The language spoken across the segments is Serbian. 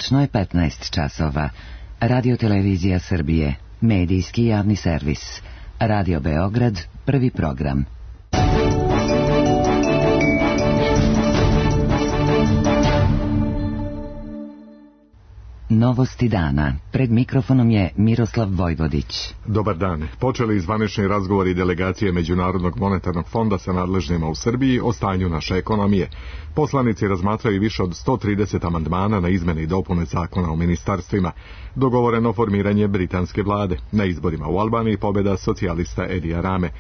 Tačno je 15 časova. Radio-televizija Srbije, medijski javni servis. Radio Beograd, prvi program. Novosti dana. Pred mikrofonom je Miroslav Vojvodić. Dobar dan. Počeli zvanični razgovori delegacije Međunarodnog monetarnog fonda sa nadležnima u Srbiji o stanju naše ekonomije. Poslanici razmatraju više od 130 amandmana na izmene i dopune zakona o ministarstvima. Dogovoreno formiranje britanske vlade. Na izborima u Albaniji pobjeda socijalista Edija Rame.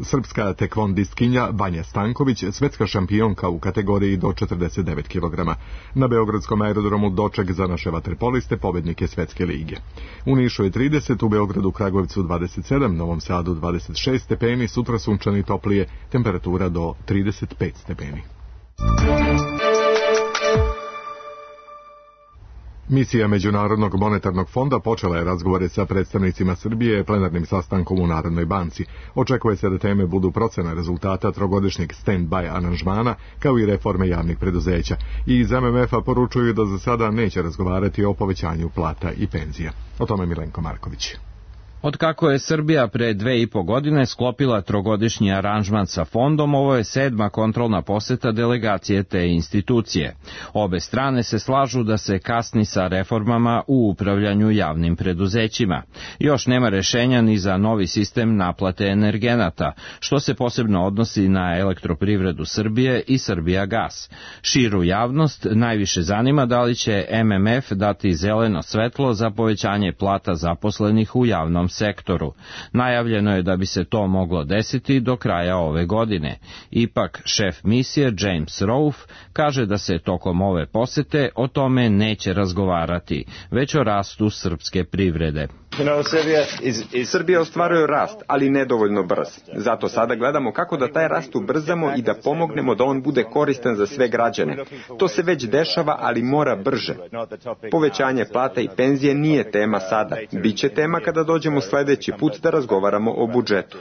Srpska tekvondistkinja Vanja Stanković, svetska šampionka u kategoriji do 49 kg. Na Beogradskom aerodromu doček za naše vaterpoliste, pobednike Svetske lige. U Nišu je 30, u Beogradu, Kragujevcu 27, Novom Sadu 26 stepeni, sutra sunčani toplije, temperatura do 35 stepeni. Misija Međunarodnog monetarnog fonda počela je razgovore sa predstavnicima Srbije plenarnim sastankom u Narodnoj banci. Očekuje se da teme budu procena rezultata trogodišnjeg stand-by aranžmana, kao i reforme javnih preduzeća. I iz MMF-a poručuju da za sada neće razgovarati o povećanju plata i penzija. O tome Milenko Marković. Otkako je Srbija pre 2,5 godine sklopila trogodišnji aranžman sa fondom, ovo je 7. kontrolna poseta delegacije te institucije. Obe strane se slažu da se kasni sa reformama u upravljanju javnim preduzećima. Još nema rešenja ni za novi sistem naplate energenata, što se posebno odnosi na Elektroprivredu Srbije i Srbijagas. Širu javnost najviše zanima da li će MMF dati zeleno svetlo za povećanje plata zaposlenih u javnom sektoru. Najavljeno je da bi se to moglo desiti do kraja ove godine. Ipak, šef misije James Rolfe kaže da se tokom ove posete o tome neće razgovarati, već o rastu srpske privrede. Srbija ostvaruje rast, ali nedovoljno brz. Zato sada gledamo kako da taj rast ubrzamo i da pomognemo da on bude koristan za sve građane. To se već dešava, ali mora brže. Povećanje plata i penzije nije tema sada. Biće tema kada dođemo sledeći put da razgovaramo o budžetu.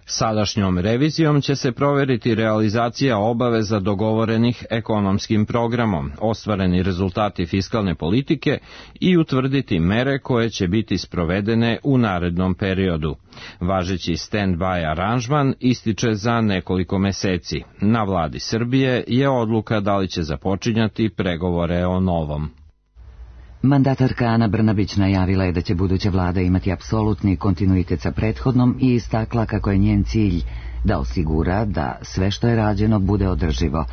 Sadašnjom revizijom će se proveriti realizacija obaveza dogovorenih ekonomskim programom, ostvareni rezultati fiskalne politike i utvrditi mere koje će biti sprovedene u narednom periodu. Važeći stand-by aranžman ističe za nekoliko meseci. Na vladi Srbije je odluka da li će započinjati pregovore o novom. Mandatarka Ana Brnabić najavila je da će buduća vlada imati apsolutni kontinuitet sa prethodnom i istakla kako je njen cilj da osigura da sve što je rađeno bude održivo.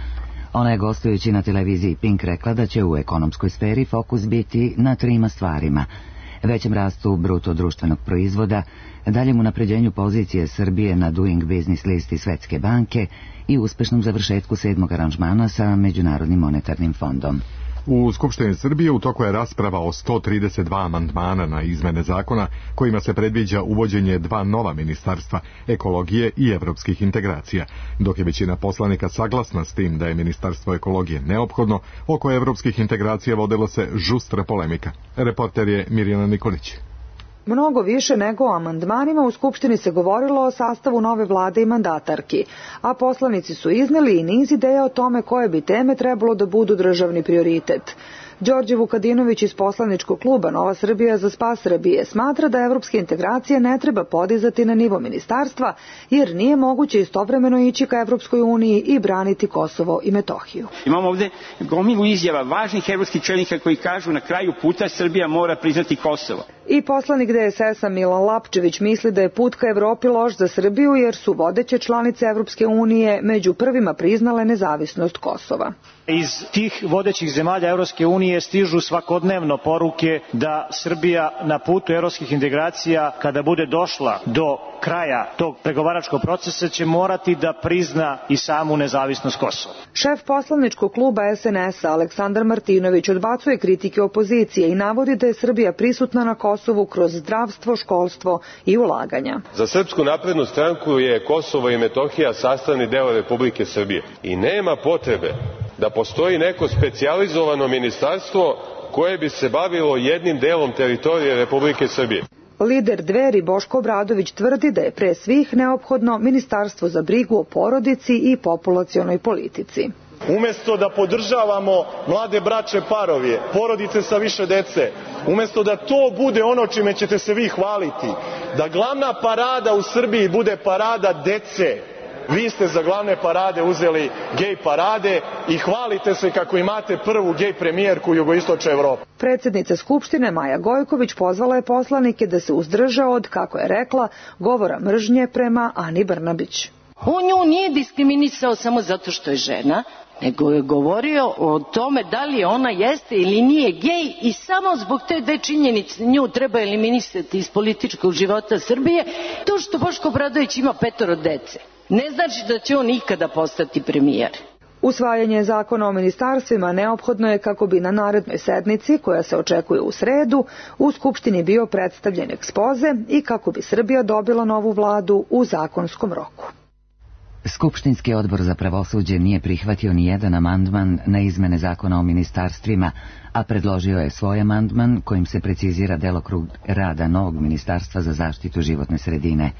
Ona je gostujući na televiziji Pink rekla da će u ekonomskoj sferi fokus biti na 3 stvarima: većem rastu bruto društvenog proizvoda, daljem unapređenju pozicije Srbije na Doing Business listi Svetske banke i uspešnom završetku 7. aranžmana sa Međunarodnim monetarnim fondom. U Skupštini Srbije u toku je rasprava o 132 amandmana na izmene zakona kojima se predviđa uvođenje 2 nova ministarstva, ekologije i evropskih integracija. Dok je većina poslanika saglasna s tim da je ministarstvo ekologije neophodno, oko evropskih integracija vodila se žustra polemika. Reporter je Mirjana Nikolić. Mnogo više nego o amandmanima u Skupštini se govorilo o sastavu nove vlade i mandatarki, a poslanici su izneli i niz ideja o tome koje bi teme trebalo da budu državni prioritet. Đorđe Vukadinović iz poslaničkog kluba Nova Srbija za spas Srbije smatra da evropske integracije ne treba podizati na nivo ministarstva, jer nije moguće istovremeno ići ka Evropskoj uniji i braniti Kosovo i Metohiju. Imamo ovde gomilu izjava važnih evropskih čelnika koji kažu na kraju puta Srbija mora priznati Kosovo. I poslanik DSS-a Milan Lapčević misli da je put ka Evropi loš za Srbiju jer su vodeće članice Evropske unije među prvima priznale nezavisnost Kosova. Iz tih vodećih zemalja Evropske unije stižu svakodnevno poruke da Srbija na putu evropskih integracija, kada bude došla do kraja tog pregovaračkog procesa, će morati da prizna i samu nezavisnost Kosova. Šef poslaničkog kluba SNS-a Aleksandar Martinović odbacuje kritike opozicije i navodi da je Srbija prisutna na Kosovu kroz zdravstvo, školstvo i ulaganja. Za Srpsku naprednu stranku je Kosovo i Metohija sastavni deo Republike Srbije i nema potrebe da postoji neko specijalizovano ministarstvo koje bi se bavilo jednim delom teritorije Republike Srbije. Lider Dveri Boško Obradović tvrdi da je pre svih neophodno ministarstvo za brigu o porodici i populacionoj politici. Umesto da podržavamo mlade bračne parove, porodice sa više dece, umesto da to bude ono čime ćete se vi hvaliti, da glavna parada u Srbiji bude parada dece, vi ste za glavne parade uzeli gej parade i hvalite se kako imate prvu gej premijerku u jugoistočnoj Evropi. Predsjednica Skupštine Maja Gojković pozvala je poslanike da se uzdrže od, kako je rekla, govora mržnje prema Ani Brnabić. On nju nije diskriminisao samo zato što je žena, nego je govorio o tome da li ona jeste ili nije gej i samo zbog te dve činjenice nju treba eliminisati iz političkog života Srbije. To što Boško Obradović ima 5 dece ne znači da će on ikada postati premijer. Usvajanje zakona o ministarstvima neophodno je kako bi na narednoj sednici, koja se očekuje u sredu, u Skupštini bio predstavljen ekspoze i kako bi Srbija dobila novu vladu u zakonskom roku. Skupštinski odbor za pravosuđe nije prihvatio ni jedan amandman na izmene zakona o ministarstvima, a predložio je svoj amandman kojim se precizira delokrug rada novog ministarstva za zaštitu životne sredine.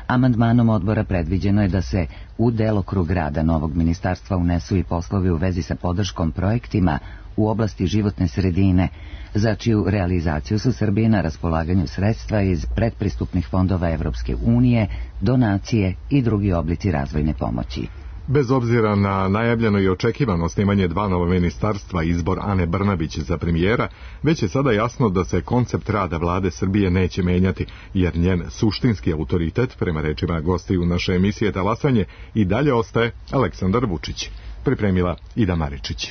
Amandmanom odbora predviđeno je da se u delokrug rada novog ministarstva unesu i poslovi u vezi sa podrškom projektima u oblasti životne sredine, za čiju realizaciju su Srbiji na raspolaganju sredstva iz predpristupnih fondova Evropske unije, donacije i drugi oblici razvojne pomoći. Bez obzira na najavljeno i očekivano osnivanje 2 nova ministarstva i izbor Ane Brnabić za premijera, već je sada jasno da se koncept rada vlade Srbije neće menjati, jer njen suštinski autoritet, prema rečima gostiju naše emisije Talasanje, i dalje ostaje Aleksandar Vučić. Pripremila Ida Maričić.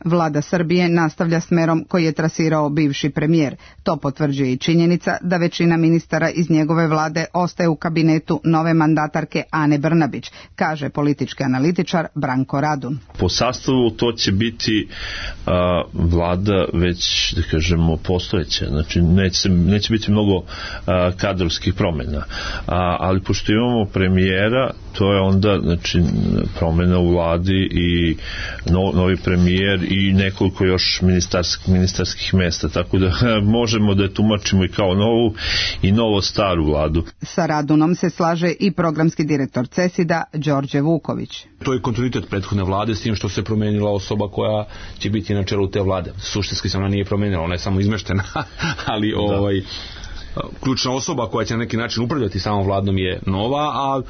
Vlada Srbije nastavlja smerom koji je trasirao bivši premijer. To potvrđuje i činjenica da većina ministara iz njegove vlade ostaje u kabinetu nove mandatarke Ane Brnabić, kaže politički analitičar Branko Radun. Po sastavu to će biti vlada već, da kažemo, postojeća. Znači, neće biti mnogo kadrovskih promjena. Ali pošto imamo premijera, to je onda, znači, promjena u vladi i novi premijer i nekoliko još ministarskih mesta, tako da možemo da je tumačimo i kao novu i novo staru vladu. Sa Radunom se slaže i programski direktor CESID-a Đorđe Vuković. To je kontinuitet prethodne vlade s tim što se promenila osoba koja će biti na čelu te vlade. Suštinski se ona nije promenila, ona je samo izmeštena, ali ključna osoba koja će na neki način upravljati samom vladom je nova, a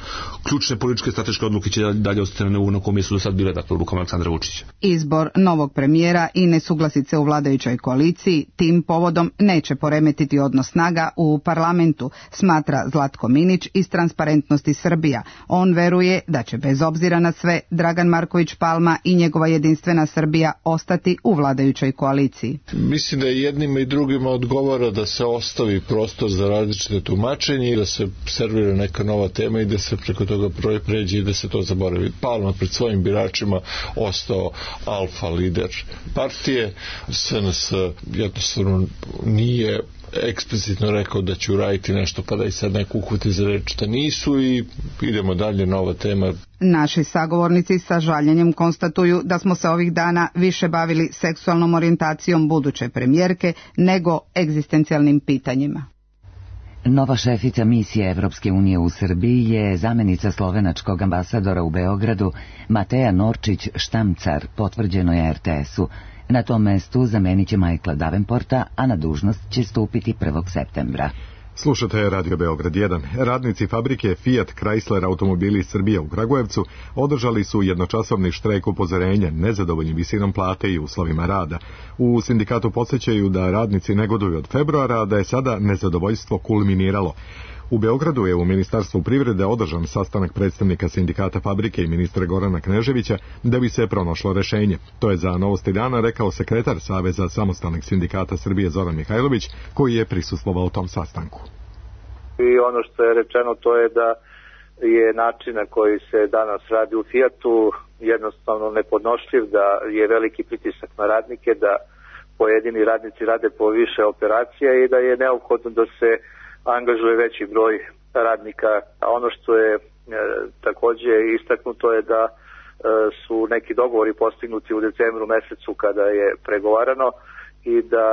ključne političke strateške odluke će dalje ostati na kom mjestu do sad bile, dakle, odlukom Aleksandra Vučića. Izbor novog premijera i nesuglasice u vladajućoj koaliciji tim povodom neće poremetiti odnos snaga u parlamentu, smatra Zlatko Minić iz Transparentnosti Srbija. On veruje da će bez obzira na sve Dragan Marković Palma i njegova Jedinstvena Srbija ostati u vladajućoj koaliciji. Mislim da jednima i drugima odgovara da se ostavi prostor za različite tumačenje i da se servira neka nova tema i da se preko toga pređe i da se to zaboravi. Palma pred svojim biračima ostao alfa lider partije. SNS jednostavno nije eksplicitno rekao da će uraditi nešto pa da i sad neko uhvati za reč da nisu i idemo dalje, nova tema. Naši sagovornici sa žaljenjem konstatuju da smo se ovih dana više bavili seksualnom orijentacijom buduće premijerke nego egzistencijalnim pitanjima. Nova šefica misije Evropske unije u Srbiji je zamenica slovenačkog ambasadora u Beogradu Mateja Norčić-Štamcar, potvrđeno je RTS-u. Na tom mestu zamenit će Michaela Davenporta, a na dužnost će stupiti 1. septembra. Slušate Radio Beograd 1. Radnici fabrike Fiat Chrysler automobili Srbije u Kragujevcu održali su jednočasovni štrajk upozorenja nezadovoljnim visinom plate i uslovima rada. U sindikatu podsjećaju da radnici negoduju od februara, a da je sada nezadovoljstvo kulminiralo. U Beogradu je u Ministarstvu privrede održan sastanak predstavnika sindikata fabrike i ministra Gorana Kneževića da bi se pronašlo rešenje. To je za Novosti dana rekao sekretar Saveza samostalnih sindikata Srbije Zoran Mihajlović, koji je prisustvovao tom sastanku. I ono što je rečeno to je da je način na koji se danas radi u Fiatu jednostavno nepodnošljiv, da je veliki pritisak na radnike, da pojedini radnici rade po više operacija i da je neophodno da se angažuje veći broj radnika. A ono što je također istaknuto je da su neki dogovori postignuti u decembru mesecu kada je pregovarano i da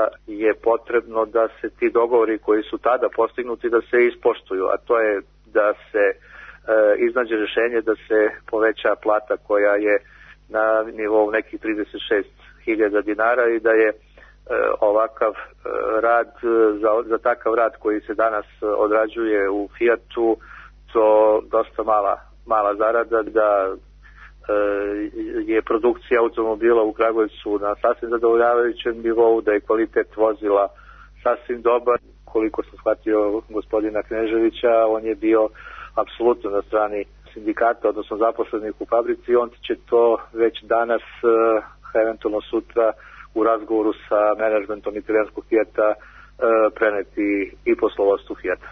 je potrebno da se ti dogovori koji su tada postignuti da se ispoštuju, a to je da se iznađe rješenje da se poveća plata koja je na nivou nekih 36.000 dinara i da je ovakav rad, za takav rad koji se danas odrađuje u Fijatu, to dosta mala zarada, da je produkcija automobila u Kragujevcu na sasvim zadovoljavajućem nivou, da je kvalitet vozila sasvim dobar. Koliko sam shvatio gospodina Kneževića, on je bio apsolutno na strani sindikata, odnosno zaposlenih u fabrici. On će to već danas, eventualno sutra, u razgovoru sa menadžmentom italijanskog Fijata preneti i poslovodstvu Fijata.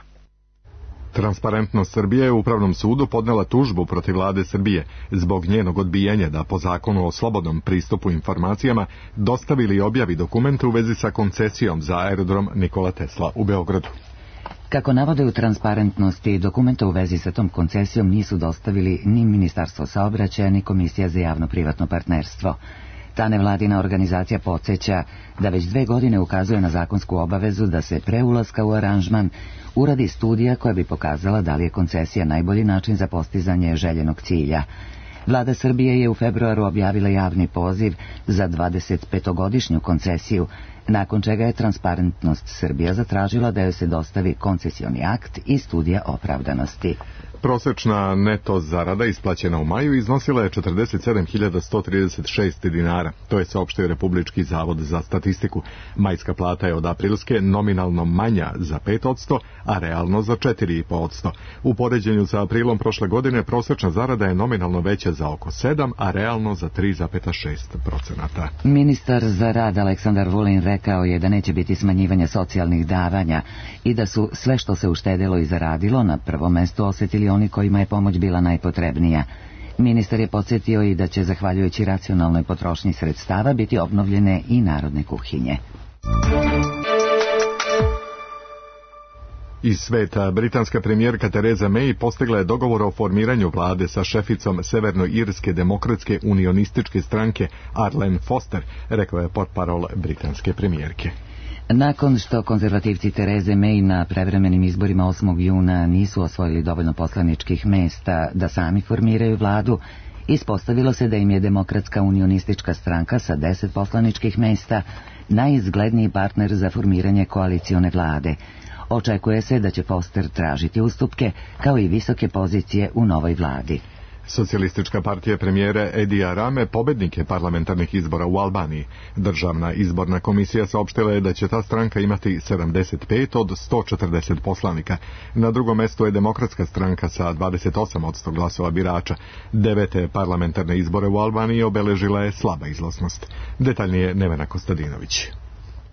Transparentnost Srbije je u Upravnom sudu podnela tužbu protiv vlade Srbije zbog njenog odbijanja da po zakonu o slobodnom pristupu informacijama dostavili i objavi dokumente u vezi sa koncesijom za aerodrom Nikola Tesla u Beogradu. Kako navode u Transparentnosti, dokumenta u vezi sa tom koncesijom nisu dostavili ni Ministarstvo saobraćaja ni Komisija za javno-privatno partnerstvo. Ta nevladina organizacija podsjeća da već 2 godine ukazuje na zakonsku obavezu da se pre ulaska u aranžman uradi studija koja bi pokazala da li je koncesija najbolji način za postizanje željenog cilja. Vlada Srbije je u februaru objavila javni poziv za 25-godišnju koncesiju, nakon čega je Transparentnost Srbija zatražila da joj se dostavi koncesioni akt i studija opravdanosti. Prosečna neto zarada isplaćena u maju iznosila je 47.136 dinara. To je saopštio Republički zavod za statistiku. Majska plata je od aprilske nominalno manja za 5%, a realno za 4,5%. U poređenju sa aprilom prošle godine prosečna zarada je nominalno veća za oko 7, a realno za 3,6%. Ministar za rad Aleksandar Vulin rekao je da neće biti smanjivanja socijalnih davanja i da su sve što se uštedelo i zaradilo na prvom mestu osjetili oni kojima je pomoć bila najpotrebnija. Ministar je podsjetio i da će, zahvaljujući racionalnoj potrošnji sredstava, biti obnovljene i narodne kuhinje. Iz sveta, britanska premijerka Theresa May postigla je dogovor o formiranju vlade sa šeficom Severnoirske demokratske unionističke stranke Arlene Foster, rekao je portparol britanske premijerke. Nakon što konzervativci Therese May na prevremenim izborima 8. juna nisu osvojili dovoljno poslaničkih mesta da sami formiraju vladu, ispostavilo se da im je Demokratska unionistička stranka sa 10 poslaničkih mesta najizgledniji partner za formiranje koalicione vlade. Očekuje se da će Foster tražiti ustupke kao i visoke pozicije u novoj vladi. Socijalistička partija premijera Edija Rame pobednik je parlamentarnih izbora u Albaniji. Državna izborna komisija saopštila je da će ta stranka imati 75 od 140 poslanika. Na drugom mestu je Demokratska stranka sa 28% glasova birača. 9. parlamentarne izbore u Albaniji obeležila je slaba izlaznost. Detaljnije Nevena Kostadinović.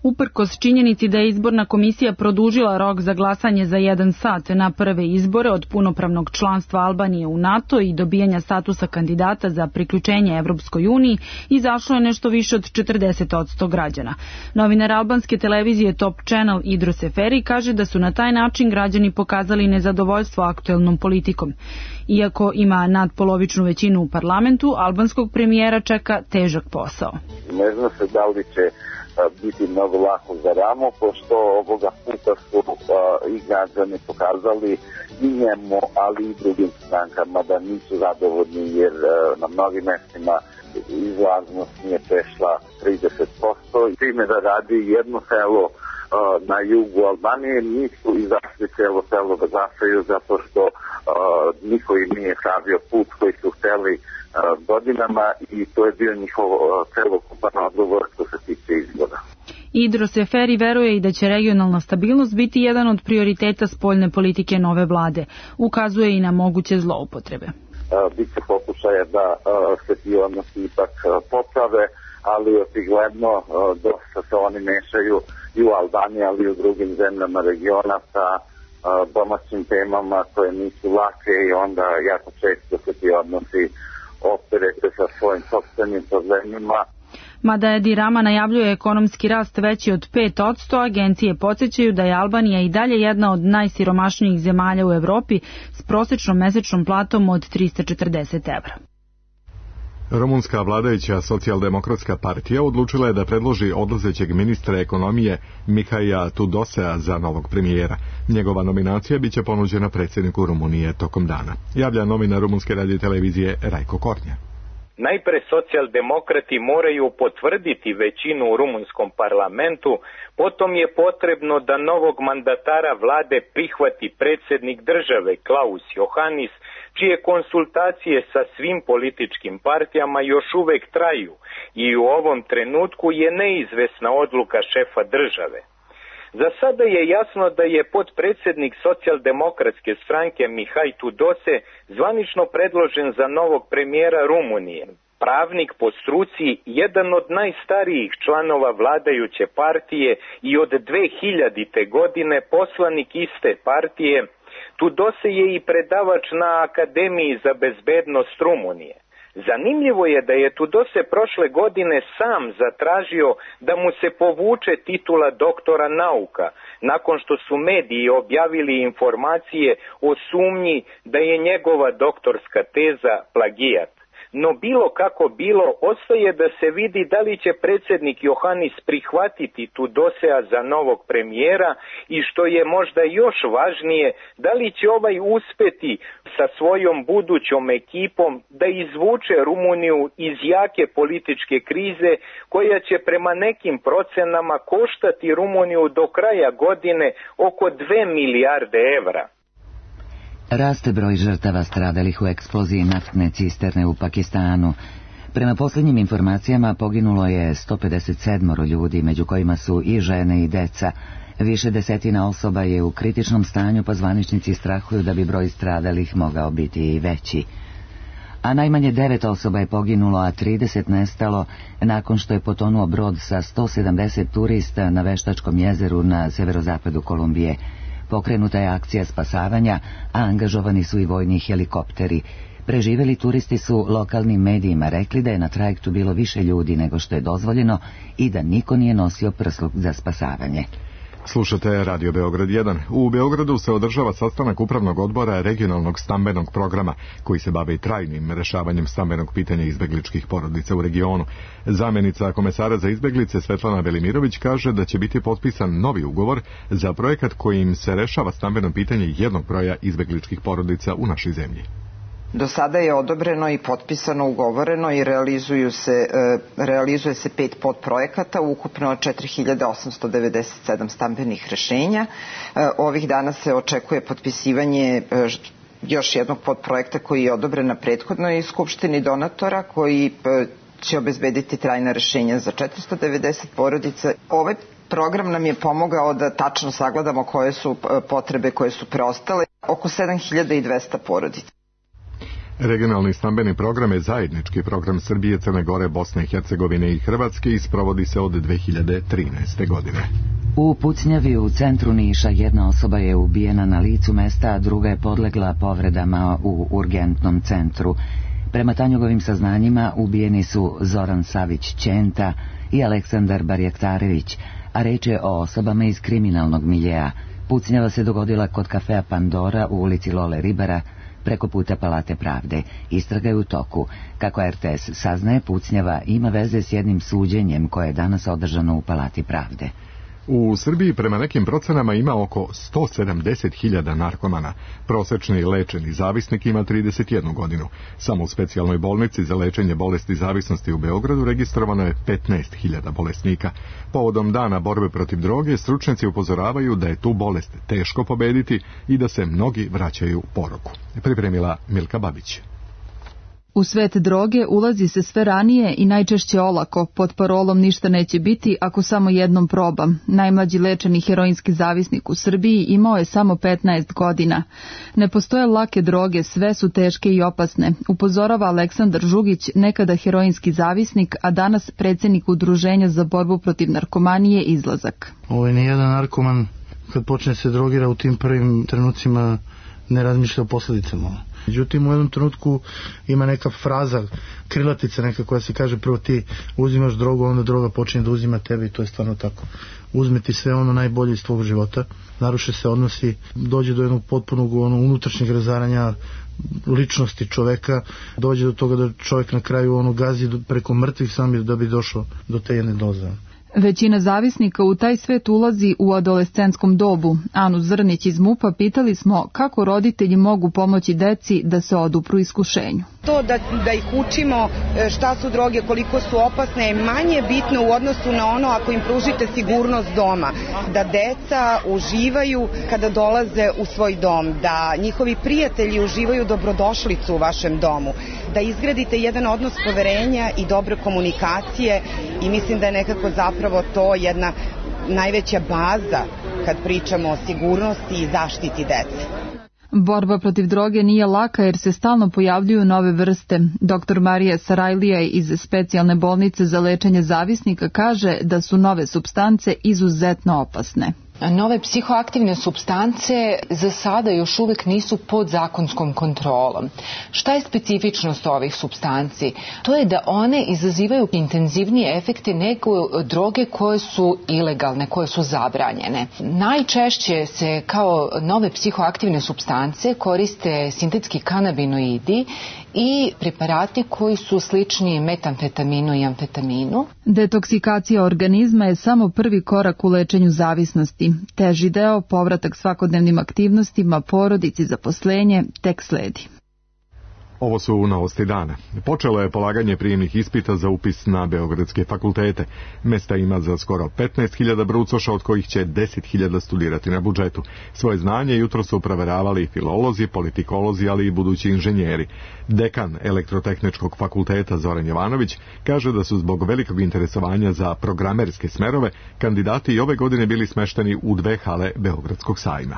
Uprkos činjenici da je izborna komisija produžila rok za glasanje za 1 sat na prve izbore od punopravnog članstva Albanije u NATO i dobijanja statusa kandidata za priključenje Evropskoj uniji, izašlo je nešto više od 40% građana. Novinar albanske televizije Top Channel Idro Seferi kaže da su na taj način građani pokazali nezadovoljstvo aktuelnom politikom. Iako ima nadpolovičnu većinu u parlamentu, albanskog premijera čeka težak posao. Ne zna se da li će biti mnogo lako za Ramo, pošto ovoga puta su i građani pokazali i njemu, ali i drugim strankama da nisu zadovoljni, jer na mnogim mestima izlaznost nije prešla 30%. I time da radi jedno selo na jugu Albanije nisu izašli selo da glasaju, zato što niko im nije savio put koji su hteli godinama i to je bio njihov celokupan odgovor što se tiče izbora. Idro Seferi veruje i da će regionalna stabilnost biti jedan od prioriteta spoljne politike nove vlade. Ukazuje i na moguće zloupotrebe. Biće pokušaja da se ti odnosi ipak poprave, ali očigledno dosta se oni mešaju i u Albaniji, ali i u drugim zemljama regiona sa domaćim temama koje nisu lake i onda jako često se ti odnosi opterete sa svojim sopstvenim problemima. Mada Edi Rama najavljuje ekonomski rast veći od 5%, agencije podsjećaju da je Albanija i dalje jedna od najsiromašnijih zemalja u Evropi s prosječnom mesečnom platom od 340 evra. Rumunska vladajuća socijaldemokratska partija odlučila je da predloži odlazećeg ministra ekonomije Mihaila Tudosea za novog premijera. Njegova nominacija biće ponuđena predsjedniku Rumunije tokom dana. Javlja novinar rumunske radiotelevizije Rajko Kornja. Najpre socijaldemokrati moraju potvrditi većinu u rumunskom parlamentu, potom je potrebno da novog mandatara vlade prihvati predsjednik države Klaus Iohannis, čije konsultacije sa svim političkim partijama još uvek traju i u ovom trenutku je neizvesna odluka šefa države. Za sada je jasno da je potpredsjednik socijaldemokratske stranke Mihaj Tudose zvanično predložen za novog premijera Rumunije. Pravnik po struci, jedan od najstarijih članova vladajuće partije i od 2000. godine poslanik iste partije, Tudose je i predavač na Akademiji za bezbednost Rumunije. Zanimljivo je da je Tudose prošle godine sam zatražio da mu se povuče titula doktora nauka, nakon što su mediji objavili informacije o sumnji da je njegova doktorska teza plagijat. No bilo kako bilo, ostaje da se vidi da li će predsjednik Iohannis prihvatiti Tudosea za novog premijera i što je možda još važnije, da li će ovaj uspeti sa svojom budućom ekipom da izvuče Rumuniju iz jake političke krize koja će prema nekim procenama koštati Rumuniju do kraja godine oko 2 milijarde evra. Raste broj žrtava stradalih u eksploziji naftne cisterne u Pakistanu. Prema posljednjim informacijama poginulo je 157 ljudi, među kojima su i žene i deca. Više desetina osoba je u kritičnom stanju, pa zvaničnici strahuju da bi broj stradalih mogao biti i veći. A najmanje 9 osoba je poginulo, a 30 nestalo nakon što je potonuo brod sa 170 turista na Veštačkom jezeru na severozapadu Kolumbije. Pokrenuta je akcija spasavanja, a angažovani su i vojni helikopteri. Preživjeli turisti su lokalnim medijima rekli da je na trajektu bilo više ljudi nego što je dozvoljeno i da niko nije nosio prsluk za spasavanje. Slušate Radio Beograd 1. U Beogradu se održava sastanak upravnog odbora regionalnog stambenog programa, koji se bavi trajnim rešavanjem stambenog pitanja izbegličkih porodica u regionu. Zamjenica komesara za izbeglice Svetlana Velimirović kaže da će biti potpisan novi ugovor za projekat kojim se rešava stambeno pitanje jednog broja izbegličkih porodica u našoj zemlji. Do sada je odobreno i potpisano, ugovoreno i realizuje se 5 podprojekata, ukupno 4897 stambenih rešenja. Ovih dana se očekuje potpisivanje još jednog podprojekta koji je odobren na prethodnoj skupštini donatora, koji će obezbediti trajna rešenja za 490 porodica. Ovaj program nam je pomogao da tačno sagledamo koje su potrebe koje su preostale, oko 7200 porodica. Regionalni stambeni program je zajednički program Srbije, Crne Gore, Bosne i Hercegovine i Hrvatske i sprovodi se od 2013. godine. U Pucnjavi u centru Niša jedna osoba je ubijena na licu mesta, a druga je podlegla povredama u urgentnom centru. Prema Tanjugovim saznanjima ubijeni su Zoran Savić-Ćenta i Aleksandar Barjaktarević, a reč je o osobama iz kriminalnog miljea. Pucnjava se dogodila kod kafea Pandora u ulici Lole Ribara, preko puta Palate Pravde. Istraga je u toku. Kako RTS saznaje, Pucnjava ima veze s jednim suđenjem koje je danas održano u Palati Pravde. U Srbiji prema nekim procenama ima oko 170.000 narkomana. Prosečni lečeni zavisnik ima 31 godinu. Samo u specijalnoj bolnici za lečenje bolesti zavisnosti u Beogradu registrovano je 15.000 bolesnika. Povodom dana borbe protiv droge, stručnjaci upozoravaju da je tu bolest teško pobediti i da se mnogi vraćaju poroku. Pripremila Milka Babić. U svet droge ulazi se sve ranije i najčešće olako, pod parolom ništa neće biti ako samo jednom probam. Najmlađi lečeni heroinski zavisnik u Srbiji imao je samo 15 godina. Ne postoje lake droge, sve su teške i opasne, upozorava Aleksandar Žugić, nekada heroinski zavisnik, a danas predsjednik Udruženja za borbu protiv narkomanije Izlazak. Nijedan narkoman kad počne se drogira u tim prvim trenucima ne razmišlja o posljedicama. Međutim, u jednom trenutku ima neka fraza, krilatica neka koja se kaže prvo ti uzimaš drogu, onda droga počinje da uzima tebe i to je stvarno tako. Uzme ti sve ono najbolje iz tvog života, naruše se odnosi, dođe do jednog potpunog unutrašnjeg razaranja ličnosti čoveka, dođe do toga da čovjek na kraju gazi preko mrtvih sami da bi došao do te jedne doze. Većina zavisnika u taj svet ulazi u adolescentskom dobu. Anu Zrnić iz MUP-a pitali smo kako roditelji mogu pomoći deci da se odupru iskušenju. To da ih učimo šta su droge, koliko su opasne, je manje bitno u odnosu na ono ako im pružite sigurnost doma. Da deca uživaju kada dolaze u svoj dom, da njihovi prijatelji uživaju dobrodošlicu u vašem domu, da izgradite jedan odnos poverenja i dobre komunikacije i mislim da je nekako zapravo to jedna najveća baza kad pričamo o sigurnosti i zaštiti dece. Borba protiv droge nije laka jer se stalno pojavljuju nove vrste. Dr. Marija Sarajlija iz specijalne bolnice za lečenje zavisnika kaže da su nove supstance izuzetno opasne. Nove psihoaktivne supstance za sada još uvijek nisu pod zakonskom kontrolom. Šta je specifičnost ovih supstanci? To je da one izazivaju intenzivnije efekte nego droge koje su ilegalne, koje su zabranjene. Najčešće se kao nove psihoaktivne supstance koriste sintetski kanabinoidi i preparati koji su slični metamfetaminu i amfetaminu. Detoksikacija organizma je samo prvi korak u lečenju zavisnosti. Teži deo, povratak svakodnevnim aktivnostima, porodici, zaposlenje, tek sledi. Ovo su novosti dana. Počelo je polaganje prijemnih ispita za upis na beogradske fakultete. Mesta ima za skoro 15.000 brucoša, od kojih će 10.000 studirati na budžetu. Svoje znanje jutro su proveravali filolozi, politikolozi, ali i budući inženjeri. Dekan Elektrotehničkog fakulteta Zoran Jovanović kaže da su zbog velikog interesovanja za programerske smerove kandidati i ove godine bili smešteni u 2 hale Beogradskog sajma.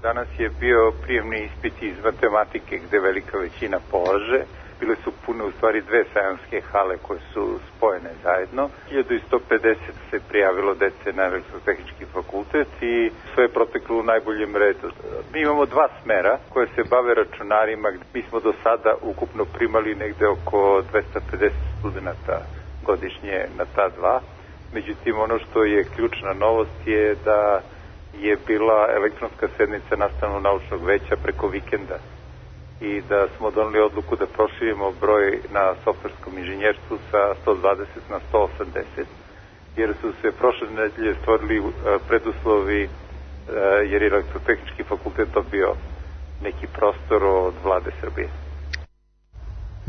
Danas je bio prijemni ispit iz matematike gde velika većina polaže. Bile su pune u stvari 2 sajamske hale koje su spojene zajedno. 1150 se prijavilo dece na Elektrotehnički fakultet i sve je proteklo u najboljem redu. Mi imamo 2 smera koje se bave računarima. Mi smo do sada ukupno primali negde oko 250 studenta godišnje na ta 2. Međutim, ono što je ključna novost je da je bila elektronska sednica nastavno-naučnog veća preko vikenda i da smo doneli odluku da proširimo broj na softverskom inženjerstvu sa 120 na 180, jer su se prošle nedelje stvorili preduslovi, jer je Elektrotehnički fakultet dobio neki prostor od vlade Srbije.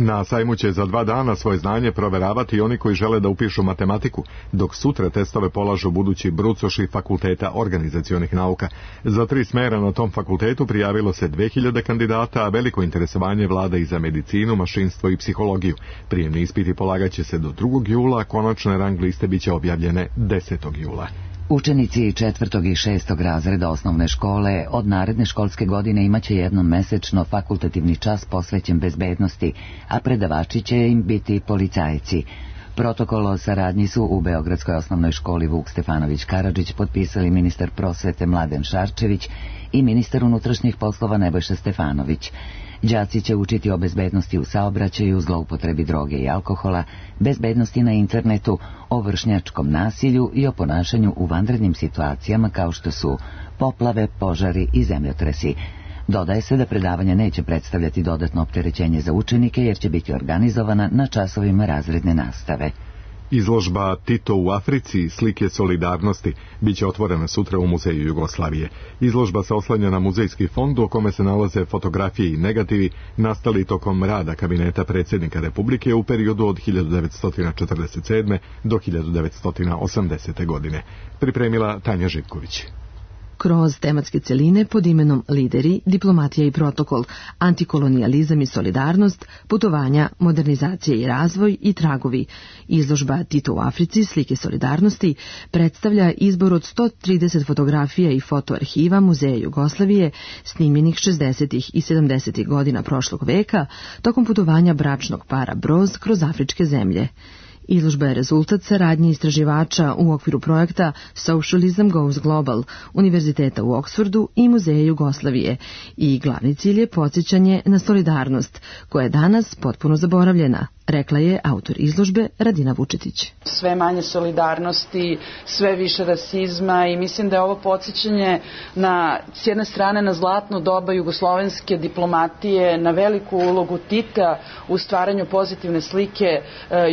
Na sajmu će za 2 dana svoje znanje proveravati i oni koji žele da upišu matematiku, dok sutra testove polažu budući brucoši Fakulteta organizacionih nauka. Za 3 smera na tom fakultetu prijavilo se 2000 kandidata, a veliko interesovanje vlada i za medicinu, mašinstvo i psihologiju. Prijemni ispiti polagaće se do 2. jula, a konačne rang liste biće objavljene 10. jula. Učenici 4. i 6. razreda osnovne škole od naredne školske godine imaće jednom mesečno fakultativni čas posvećen bezbednosti, a predavači će im biti policajci. Protokol o saradnji su u Beogradskoj osnovnoj školi Vuk Stefanović Karadžić potpisali ministar prosvete Mladen Šarčević i ministar unutrašnjih poslova Nebojša Stefanović. Đaci će učiti o bezbednosti u saobraćaju, zloupotrebi droge i alkohola, bezbednosti na internetu, o vršnjačkom nasilju i o ponašanju u vanrednim situacijama kao što su poplave, požari i zemljotresi. Dodaje se da predavanje neće predstavljati dodatno opterećenje za učenike jer će biti organizovana na časovima razredne nastave. Izložba Tito u Africi, slike solidarnosti, biće otvorena sutra u Muzeju Jugoslavije. Izložba se oslanja na muzejski fond u kome se nalaze fotografije i negativi nastali tokom rada kabineta predsjednika Republike u periodu od 1947. do 1980. godine. Pripremila Tanja Živković. Kroz tematske celine pod imenom Lideri, diplomatija i protokol, antikolonijalizam i solidarnost, putovanja, modernizacija i razvoj i tragovi. Izložba Tito u Africi, slike solidarnosti, predstavlja izbor od 130 fotografija i fotoarhiva Muzeja Jugoslavije, snimljenih 60. i 70. godina prošlog veka, tokom putovanja bračnog para Broz kroz afričke zemlje. Izložba je rezultat saradnje istraživača u okviru projekta Socialism Goes Global, Univerziteta u Oksfordu i Muzeja Jugoslavije i glavni cilj je podsjećanje na solidarnost, koja je danas potpuno zaboravljena, rekla je autor izložbe Radina Vučetić. Sve manje solidarnosti, sve više rasizma i mislim da je ovo podsjećanje na, s jedne strane, na zlatno doba jugoslovenske diplomatije, na veliku ulogu Tita u stvaranju pozitivne slike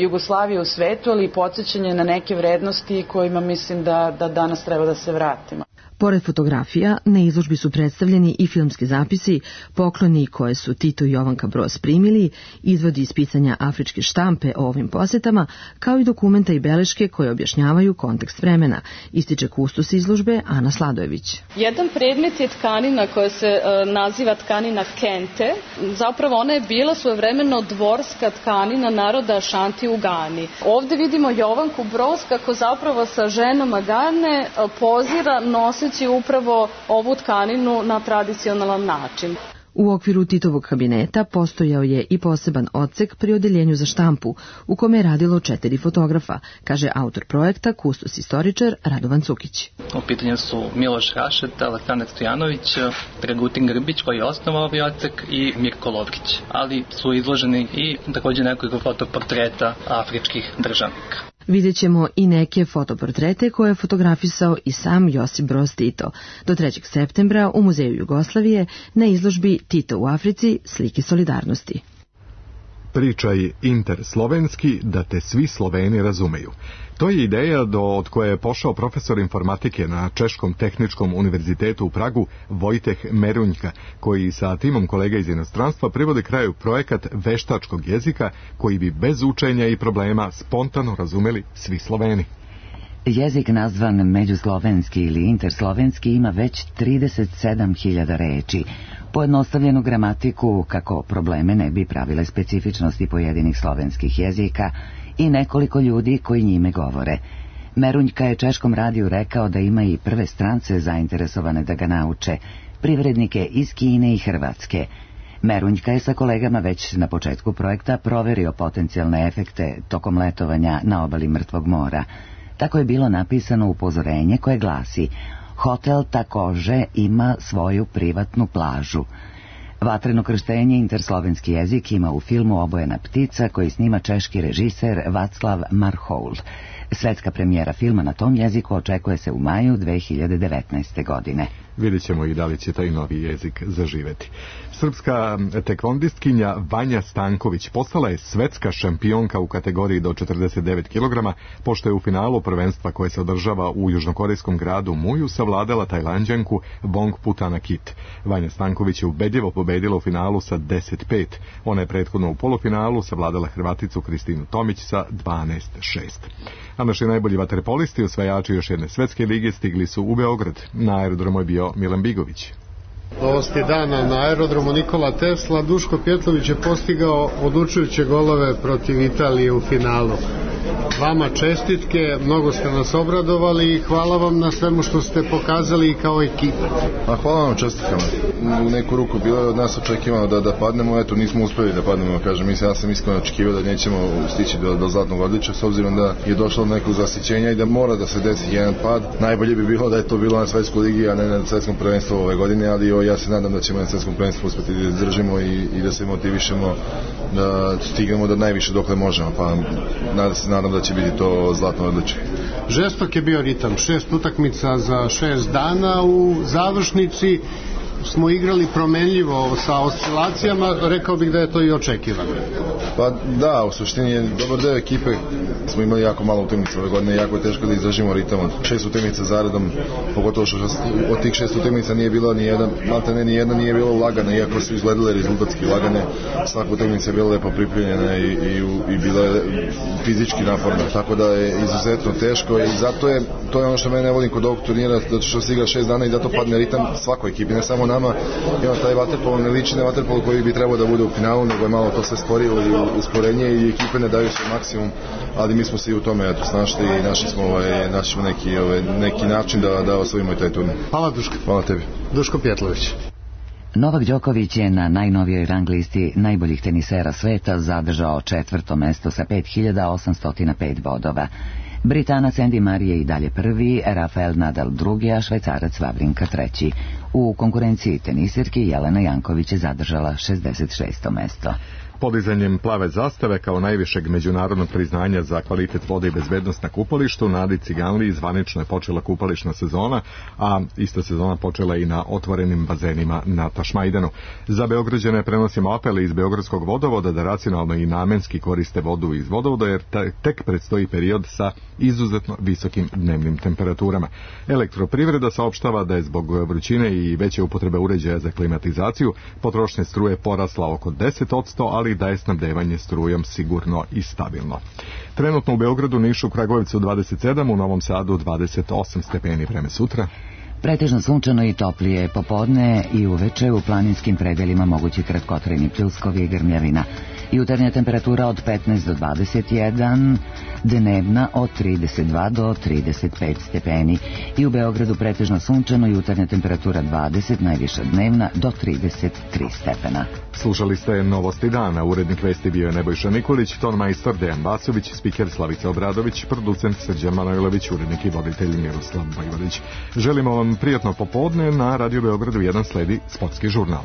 Jugoslavije u svetu, ali i podsjećanje na neke vrednosti kojima mislim da danas treba da se vratimo. Pored fotografija, na izložbi su predstavljeni i filmski zapisi, pokloni koje su Tito i Jovanka Broz primili, izvodi iz pisanja afričke štampe o ovim posetama, kao i dokumenta i beleške koje objašnjavaju kontekst vremena, ističe kustos izložbe Ana Sladojević. Jedan predmet je tkanina koja se naziva tkanina kente. Zapravo ona je bila svojevremeno dvorska tkanina naroda Ašanti u Gani. Ovde vidimo Jovanku Broz kako zapravo sa ženama Gane pozira noseći upravo ovu tkaninu na tradicionalan način. U okviru Titovog kabineta postojao je i poseban odsek pri odeljenju za štampu, u kome je radilo 4 fotografa, kaže autor projekta, kustos istoričar Radovan Cukić. U pitanju su Miloš Rašet, Aleksandar Stojanović, Dragutin Grbić koji je osnovao ovaj odsek i Mirko Lovrić, ali su izloženi i također nekoliko fotoportreta afričkih državnika. Vidjet ćemo i neke fotoportrete koje je fotografisao i sam Josip Broz Tito. Do 3. septembra u Muzeju Jugoslavije na izložbi Tito u Africi slike solidarnosti. Pričaj interslovenski da te svi Sloveni razumeju. To je ideja od koje je pošao profesor informatike na Češkom tehničkom univerzitetu u Pragu Vojteh Merunjka, koji sa timom kolega iz inostranstva privode kraju projekat veštačkog jezika koji bi bez učenja i problema spontano razumeli svi Sloveni. Jezik nazvan međuslovenski ili interslovenski ima već 37.000 reči. Pojednostavljenu gramatiku kako probleme ne bi pravile specifičnosti pojedinih slovenskih jezika i nekoliko ljudi koji njime govore. Merunjka je Češkom radiju rekao da ima i prve strance zainteresovane da ga nauče, privrednike iz Kine i Hrvatske. Merunjka je sa kolegama već na početku projekta proverio potencijalne efekte tokom letovanja na obali Mrtvog mora. Tako je bilo napisano upozorenje koje glasi: hotel takođe ima svoju privatnu plažu. Vatreno krštenje interslovenski jezik ima u filmu Obojena ptica koji snima češki režiser Václav Marhoul. Svetska premijera filma na tom jeziku očekuje se u maju 2019. godine. Vidjet ćemo i da li će taj novi jezik zaživeti. Srpska tekvondistkinja Vanja Stanković postala je svetska šampionka u kategoriji do 49 kg, pošto je u finalu prvenstva koje se održava u južnokorejskom gradu Muju savladala Tajlanđanku Vong Putanakit. Vanja Stanković je ubedljivo pobedila u finalu sa 10-5. Ona je prethodno u polufinalu savladala Hrvaticu Kristinu Tomić sa 12-6. A naši najbolji vaterpolisti, osvajači još jedne svetske lige, stigli su u Beograd. Na aerodromu je bio Milan Bigović. Novosti dana na aerodromu Nikola Tesla. Duško Pjetlović je postigao odlučujuće golove protiv Italije u finalu. Vama čestitke, mnogo ste nas obradovali i hvala vam na svemu što ste pokazali i kao ekipa. A hvala vam čestitkama. U neku ruku bilo je od nas očekivano da padnemo, eto nismo uspeli da padnemo, kažem, ja sam iskreno očekivao da nećemo stići do zlatnog odličja, s obzirom da je došlo do nekog zasićenja i da mora da se desi jedan pad. Najbolje bi bilo da je to bilo na svetskoj ligi, a ne na svetskom prvenstvu ove godine, ali ja se nadam da ćemo na svetskom prvenstvu uspeti da izdržimo i da se motivišemo da stignemo do najviše dokle možemo, pa nadam da će biti to zlatno odličje. Žestok je bio ritam, 6 utakmica za 6 dana, u završnici smo igrali promenljivo sa oscilacijama, rekao bih da je to i očekivano. Pa da, u suštini je dobar deo ekipe, smo imali jako malo utakmica ove godine, jako je teško da izdržimo ritam od 6 utakmica zaredom, pogotovo što od tih 6 utakmica nije bilo ni jedna nije bilo lagana, iako su izgledale rezultatski lagane, svaka utakmica je bila lepo pripremljena i bila je fizički naporna, tako da je izuzetno teško i zato je, to je ono što mene volim kod ovog turnira, zato što se igra 6 dana i zato padne ritam svakoj ekipi, ne samo nama, ima taj vaterpolo, ne liči na vaterpolo koji bi trebao da bude u finalu, nego je malo to sve sporilo i usporenje i ekipe ne daju svoj maksimum, ali mi smo se i u tome snašli i našli smo neki način da osvojimo i taj turnir. Hvala Duško. Hvala tebi. Duško Pjetlović. Novak Đoković je na najnovijoj rang listi najboljih tenisera sveta zadržao 4. mesto sa 5805 bodova. Britanac Andy Murray je i dalje prvi, Rafael Nadal drugi, a Švajcarac Wawrinka treći. U konkurenciji tenisirki Jelena Janković je zadržala 66. mesto. Podizanjem plave zastave kao najvišeg međunarodnog priznanja za kvalitet vode i bezbednost na kupalištu, na Adi Ciganliji zvanično je počela kupališna sezona, a ista sezona počela i na otvorenim bazenima na Tašmajdanu. Za Beograđane prenosimo apele iz Beogradskog vodovoda da racionalno i namenski koriste vodu iz vodovoda, jer tek predstoji period sa izuzetno visokim dnevnim temperaturama. Elektroprivreda saopštava da je zbog vrućine i veće upotrebe uređaja za klimatizaciju potrošnja struje porasla oko 10%, ali da je snabdevanje strujom sigurno i stabilno. Trenutno u Beogradu, Nišu, Kragujevcu 27, u Novom Sadu 28 stepeni. Vreme sutra. Pretežno sunčano i toplije popodne i uveče, u planinskim predelima mogući kratkotrajni pljuskovi i grmljavina. Jutarnja temperatura od 15 do 21, dnevna od 32 do 35 stepeni. I u Beogradu pretežno sunčano, jutarnja temperatura 20, najviša dnevna do 33 stepena. Slušali ste Novosti dana. Urednik vesti bio je Nebojša Nikolić, ton majstor Dejan Vasović, spiker Slavica Obradović, producent Srđan Manojlović, urednik i voditelj Miroslav Bajvorić. Želimo vam prijatno popodne. Na Radio Beogradu 1 sledi sportski žurnal.